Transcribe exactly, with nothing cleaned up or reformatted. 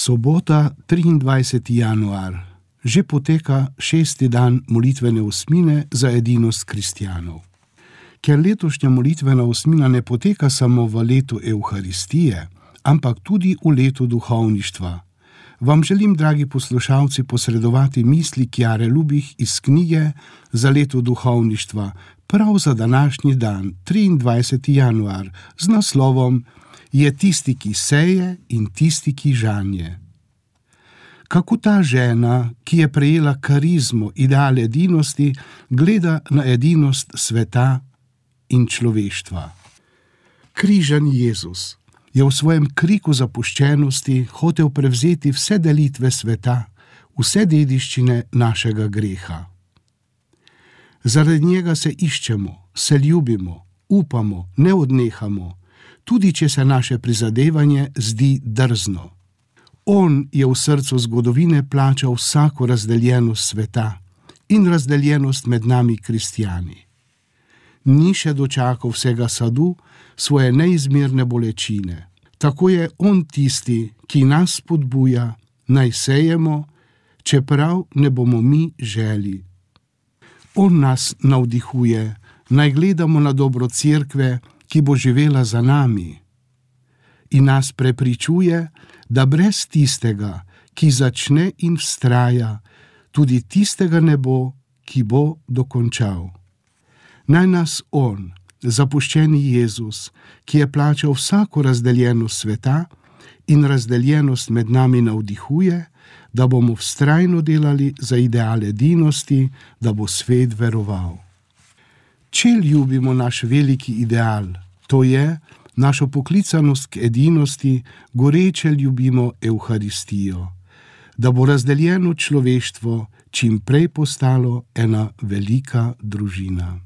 Sobota, triindvajseti januar, že poteka šesti dan molitvene osmine za edinost kristjanov. Ker letošnja molitvena osmina ne poteka samo v letu Evharistije, ampak tudi v letu duhovništva, vam želim, dragi poslušalci, posredovati misli Kjare Lubih iz knjige za leto duhovništva, prav za današnji dan, triindvajseti januar, z naslovom Je tisti, ki seje, in tisti, ki žanje. Kako ta žena, ki je prejela karizmo, ideal edinosti, gleda na edinost sveta in človeštva. Križani Jezus je v svojem kriku zapuščenosti hotel prevzeti vse delitve sveta, vse dediščine našega greha. Zaradi njega se iščemo, se ljubimo, upamo, ne odnehamo, tudi če se naše prizadevanje zdi drzno. On je v srcu zgodovine plačal vsako razdeljenost sveta in razdeljenost med nami kristjani. Ni še dočakal vsega sadu svoje neizmerne bolečine. Tako je on tisti, ki nas spodbuja, naj sejemo, čeprav ne bomo mi želi. On nas navdihuje, naj gledamo na dobro cerkve, ki bo živela za nami, in nas prepričuje, da brez tistega, ki začne in vztraja, tudi tistega ne bo, ki bo dokončal. Naj nas on, zapuščeni Jezus, ki je plačal vsako razdeljenost sveta in razdeljenost med nami, navdihuje, da bomo vztrajno delali za ideal edinosti, da bo svet veroval. Če ljubimo naš veliki ideal, to je našo poklicanost k edinosti, goreče ljubimo Evharistijo, da bo razdeljeno človeštvo čim prej postalo ena velika družina.